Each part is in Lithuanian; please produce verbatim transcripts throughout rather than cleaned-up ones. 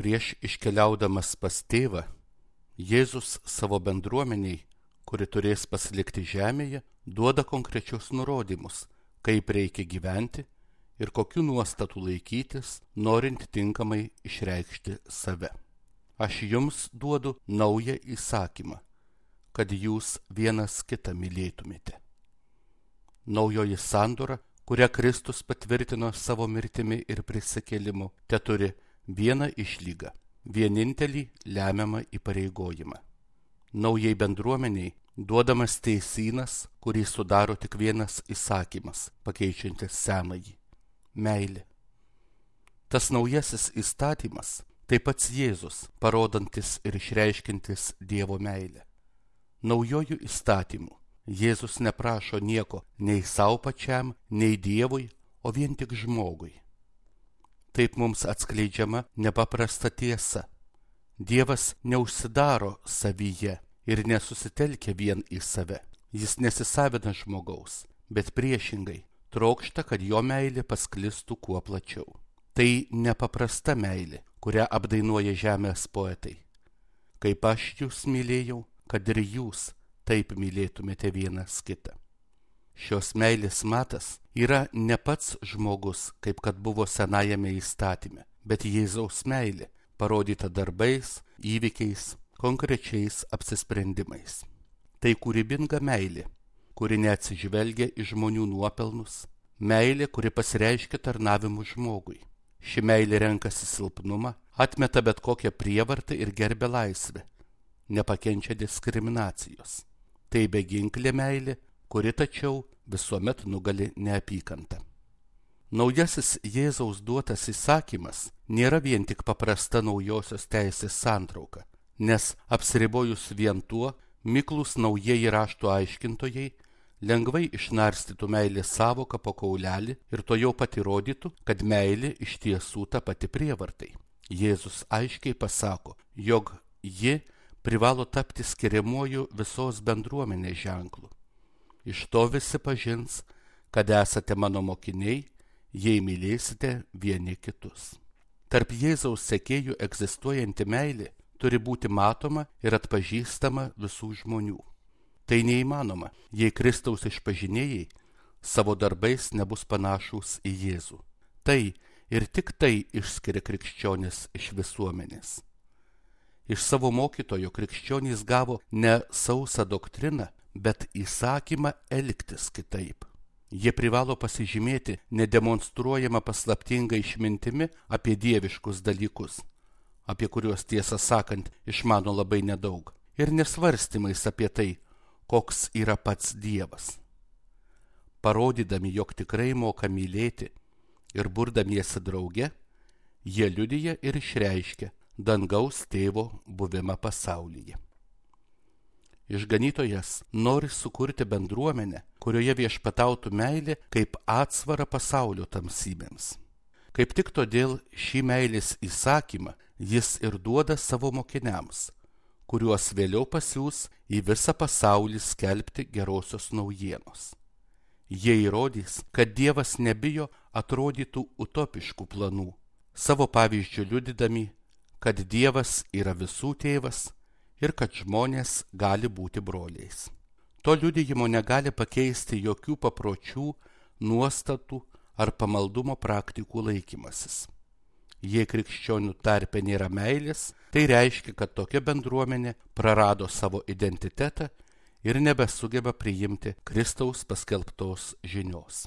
Prieš iškeliaudamas pas tėvą, Jėzus savo bendruomeniai, kuri turės pasilikti žemėje, duoda konkrečius nurodymus, kaip reikia gyventi ir kokių nuostatų laikytis, norint tinkamai išreikšti save. Aš jums duodu naują įsakymą, kad jūs vienas kitą mylėtumėte. Naujoji sandora, kurią Kristus patvirtino savo mirtimi ir prisikėlimu, teturi vieną išlygą, vienintelį lemiamą įpareigojimą. Naujai bendruomeniai duodamas teisynas, kurį sudaro tik vienas įsakymas, pakeičiantis senąjį – meilė. Tas naujasis įstatymas tai pats Jėzus, parodantis ir išreiškintis Dievo meilę. Naujojų įstatymų Jėzus neprašo nieko nei savo pačiam, nei Dievui, o vien tik žmogui. Taip mums atskleidžiama nepaprasta tiesa. Dievas neužsidaro savyje ir nesusitelkia vien į save. Jis nesisavina žmogaus, bet priešingai trokšta, kad jo meilė pasklistų kuo plačiau. Tai nepaprasta meilė, kurią apdainuoja žemės poetai. Kaip aš jūs mylėjau, kad ir jūs taip mylėtumėte vienas kitą. Šios meilės matas yra ne pats žmogus, kaip kad buvo senajame įstatyme, bet Jėzaus meilė, parodyta darbais, įvykiais, konkrečiais apsisprendimais. Tai kūrybinga meilė, kuri neatsižvelgia į žmonių nuopelnus, meilė, kuri pasireiškia tarnavimu žmogui. Ši meilė renkasi silpnumą, atmeta bet kokią prievartą ir gerbia laisvę, nepakenčia diskriminacijos. Tai beginklė meilė, kuri tačiau visuomet nugali neapykantą. Naujasis Jėzaus duotas įsakymas nėra vien tik paprasta naujosios teisės santrauka, nes apsiribojus vien tuo, miklūs naujieji rašto aiškintojai lengvai išnarstytų meilės savoką po kaulelį ir to jau pat įrodytų, kad meilė iš tiesų ta pati prievartai. Jėzus aiškiai pasako, jog ji privalo tapti skiriamuoju visos bendruomenės ženklu. Iš to visi pažins, kad esate mano mokiniai, jei mylėsite vieni kitus. Tarp Jėzaus sekėjų egzistuojanti meilė turi būti matoma ir atpažįstama visų žmonių. Tai neįmanoma, jei Kristaus išpažinėjai savo darbais nebus panašūs į Jėzų. Tai ir tik tai išskiria krikščionis iš visuomenės. Iš savo mokytojo krikščionys gavo ne sausą doktriną, bet įsakymą elgtis kitaip. Jie privalo pasižymėti nedemonstruojama paslaptinga išmintimi apie dieviškus dalykus, apie kuriuos tiesą sakant išmano labai nedaug, ir nesvarstymais apie tai, koks yra pats Dievas. Parodydami, jog tikrai moka mylėti ir burdamiesi drauge, jie liudija ir išreiškia dangaus tėvo buvimą pasaulyje. Išganytojas nori sukurti bendruomenę, kurioje viešpatautų meilė kaip atsvara pasaulio tamsybėms. Kaip tik todėl šį meilės įsakymą jis ir duoda savo mokiniams, kuriuos vėliau pasiųs į visą pasaulį skelbti gerosios naujienos. Jie įrodys, kad Dievas nebijo atrodytų utopiškų planų, savo pavyzdžių liudydami, kad Dievas yra visų tėvas ir kad žmonės gali būti broliais. To liudijimo negali pakeisti jokių papročių, nuostatų ar pamaldumo praktikų laikymasis. Jei krikščionių tarpe nėra meilės, tai reiškia, kad tokia bendruomenė prarado savo identitetą ir nebesugeba priimti Kristaus paskelbtos žinios.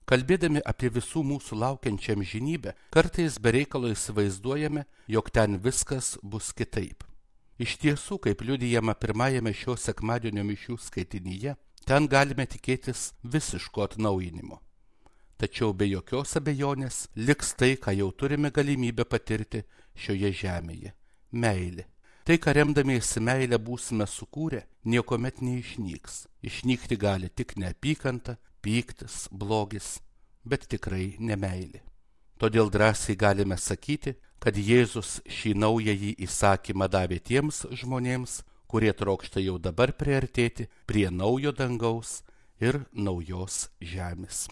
Kalbėdami apie visų mūsų laukiančią amžinybę, kartais be reikalo įsivaizduojame, jog ten viskas bus kitaip. Iš tiesų, kaip liudijama pirmajame šio sekmadienio mišių skaitinyje, ten galime tikėtis visiško atnaujinimo. Tačiau be jokios abejonės liks tai, ką jau turime galimybę patirti šioje žemėje – meilė. Tai, ką remdamiesi meilę būsime sukūrę, niekuomet neišnyks. Išnykti gali tik neapykanta, pyktis, blogis, bet tikrai ne meilė. Todėl drąsiai galime sakyti, kad Jėzus šį naująjį įsakymą davė tiems žmonėms, kurie trokšta jau dabar priartėti prie naujo dangaus ir naujos žemės.